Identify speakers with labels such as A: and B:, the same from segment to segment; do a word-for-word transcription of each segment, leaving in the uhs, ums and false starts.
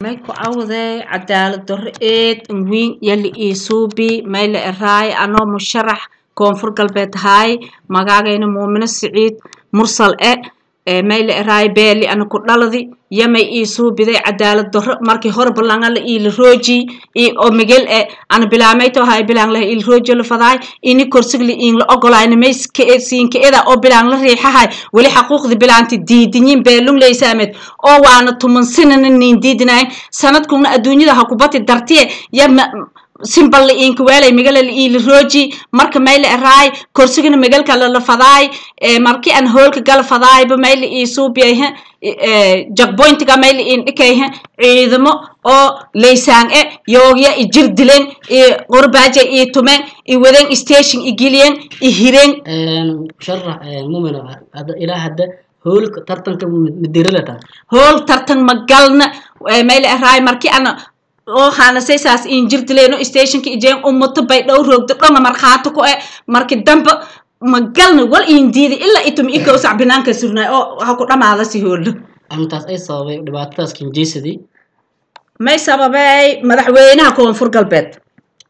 A: May ku cawday cadaalad darro eed wiin yali ii suubi may la eraay anoo musharax koonfur galbeed ahaay magaagayna Muumino Siciid Mursal e ee may la eraay beeli ana ku dhaladi yamay ii suubiday cadaalad darro. Markii hore balanga la iila rooji i oo migel e ana bilaamay to ahay bilaan la iila rooji la fadaay ini korsigli iin la ogolaayna may siinka eda oo bilaan la riixahay weli xaquuqdi bilaanti diidinyin beelung leysaamed oo waana tuman sinana niin diidinayn sanadkuna adduunyada ha kubati dartiye ya simbal la iinka weelay migala la iila rooji. Marka may la eraay korsigana migalka la fadaay ee markii aan hoolka gala fadaayba may la ii suubiyay jagboyntiga may la iin dhikay ciidamo oo leysaan e yoogya i jir dileen i qorbaaja i tumeen i wadeen station i geliyeen i hireen.
B: Musharax Muumino, ilaa hadda hoolka tartanka madiralata?
A: Hool tartan ma galna. May la eraay markii ana oo haanasaysaas in jir dileeno stationka ijeen ummato bay dhow roogdo dhonga markhaati ku e markii dambe ma galna wal iin diidi ilaa itum ikow sac binaanka surnaay oo ha ku dhamaada si hoollo.
B: Arrintaas ay sababay dhibaatadaas kinjeysadii?
A: May sababay madaxweynaha koonfur galbeed.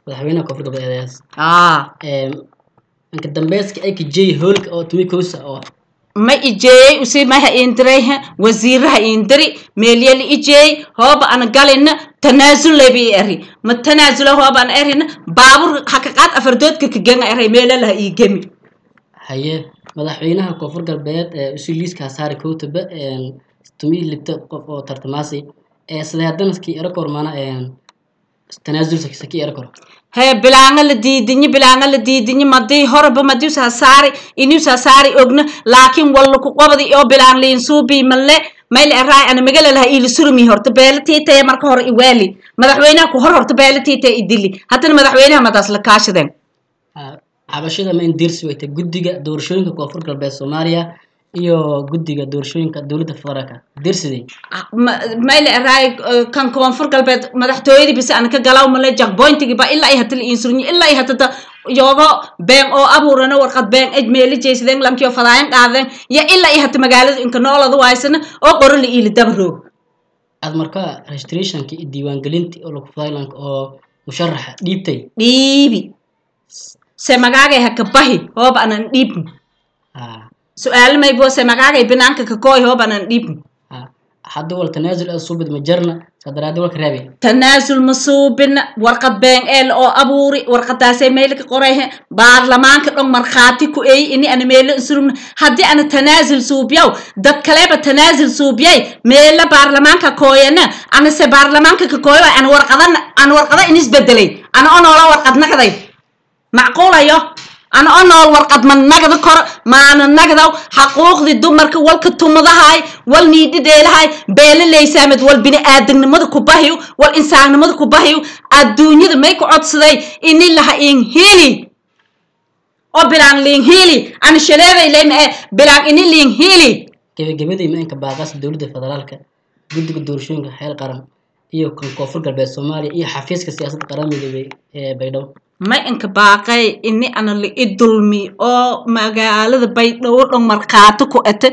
B: Madaxweynaha koonfur galbeed eedaas
A: aa
B: inka dambeyska ay kajeey hoolka oo tumi kowsa oo
A: ma ijeeyey usi maha iindiray wasiiraha iindiri meelyali ijeey hooba ana galina tanaasul layba i eri ma tanaasula hooba ana erina baabur haka qaad afardoodka kaganga eray meelalaha ii gemi.
B: Haye, madaxweynaha koonfur galbeed ee usi liiska saari kowtaba tumi libta qof oo tartamaasi ee sidee haddana kii ero kor maana tanaasul saki ero kor?
A: Hee, bilaanga la diidinyi, bilaanga la diidinyi madii horeba madiusa saari inuusa saari ogna laakiin walla ku qobdi oo bilaan liin suubi malle mayl eraay ana magala laha iila surmi horta beela tiitaya marka hore iwaali madaxweynaha ku hor horta beela tiitaya idili haddana madaxweynaha madaas la kaashadeen.
B: Cabashada ma indirsi weyta guddiga doorashooyinka koonfur galbeed Soomaaliya iyo guddiga doorashooyinka dowladda federaalka dirsiday?
A: Mayl eraay kan koonfur galbeed madaxtooyadii bise ana ka galaw male jackpointigi ba ilaa ay hata la iinsurñi ilaa ay hatada yoogo been oo abuurana warqad been ej meeli jeysadeen lankiyo fadaayan qaadeen ya ilaa ay hata magaalada inka noolada waaysana oo qoro la iili daba roog.
B: Aad marka registrationka iyo diiwaangelinta oo lagu fadaylanka oo musharaxa dhiibtay?
A: Dhiibi se magaagay haka bahi hooba anan dhiibn su-aalo maybo se magaagay binaanka kakooy hooba anan dhiibn.
B: Hadda wal tanaasul aad suubid ma jarna sadaraadi walka reebay?
A: Tanaasul ma suubina, warqad been eel oo abuuri warqadaasay meelka qorayhe baarlamaanka dhon markhaati ku eey ini ana meelo insurugna. Haddii ana tanaasul suubiyaw dad kaleba tanaasul suubiyay meelo baarlamaanka kooyana ana se baarlamaanka ka kooyo ana warqadan ana warqada in isbedelay ana oo noola warqad naqday macquulayo ana oo nool warqad ma nagda kor maana nagdaw xaquuqdii dumarka walka tumadahay wal niidhidheelahay beela leysaamed wal bini-aadamnimada ku bahiyo wal insaannimada ku bahiyo adduunyada may ku codsaday ini laha in hili oo bilaan liin hili ana shaleeday leyma ee bilaan ini liin hili.
B: Gebagabadii, ma inka baaqaas dowladda federaalka, guddiga doorashooyinka xeel qaran iyo kan koonfur galbeed Soomaaliya iyo xafiiska siyaasadda qaran midoobey ee Baydhabo?
A: May inka baaqay ini ana la i dulmi oo magaalada Baydhabo dhan markhaati ku ete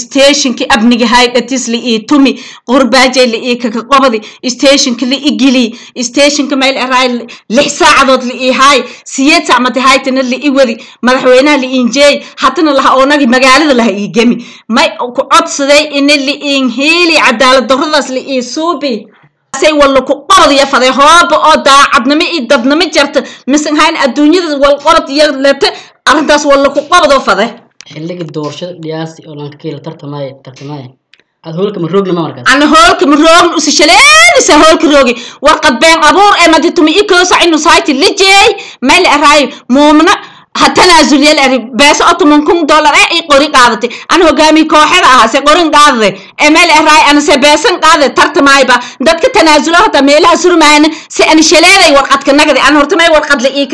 A: stationki abniga haydhatis la ii tumi qurbaajay la ii kaka qobadi stationka la i gili stationka mayl eraay lix saacadood la ii haay siyeed saac mati haytana la i wadi madaxweynaha la iinjeey hatana laha oonagi magaalada laha ii gemi may ku codsaday ini la iin hiili cadaalad darradaas la ii suubi say walla ku qorod iyo faday hooba oo daacadnimo iyo dadnimo jarta misan hayn adduunyada wal qorod iyo lete arrintaas walla ku qabadoo fade.
B: Xilliga doorashada dhiyaasi oo lanka kiila tartamaya tartamaya aad hoolka ma roogna ma markaas?
A: Ana hoolka ma roogn usi shaleelisa hoolka roogi warqad been abuur ee maditumi ikoosa inu sayti lijeey meel eraay muumna ha tanaasul yeel eri beeso oo toban kun dollar ee i qori qaadatay ana hogaamiye kooxada ahaa se qorin qaadaday ee meel eraay ana se beesan qaaday tartamayba dadka tanaasulo hata meelaha surmaayana se ana shaleelay warqadka nagadi ana horta may warqad la ii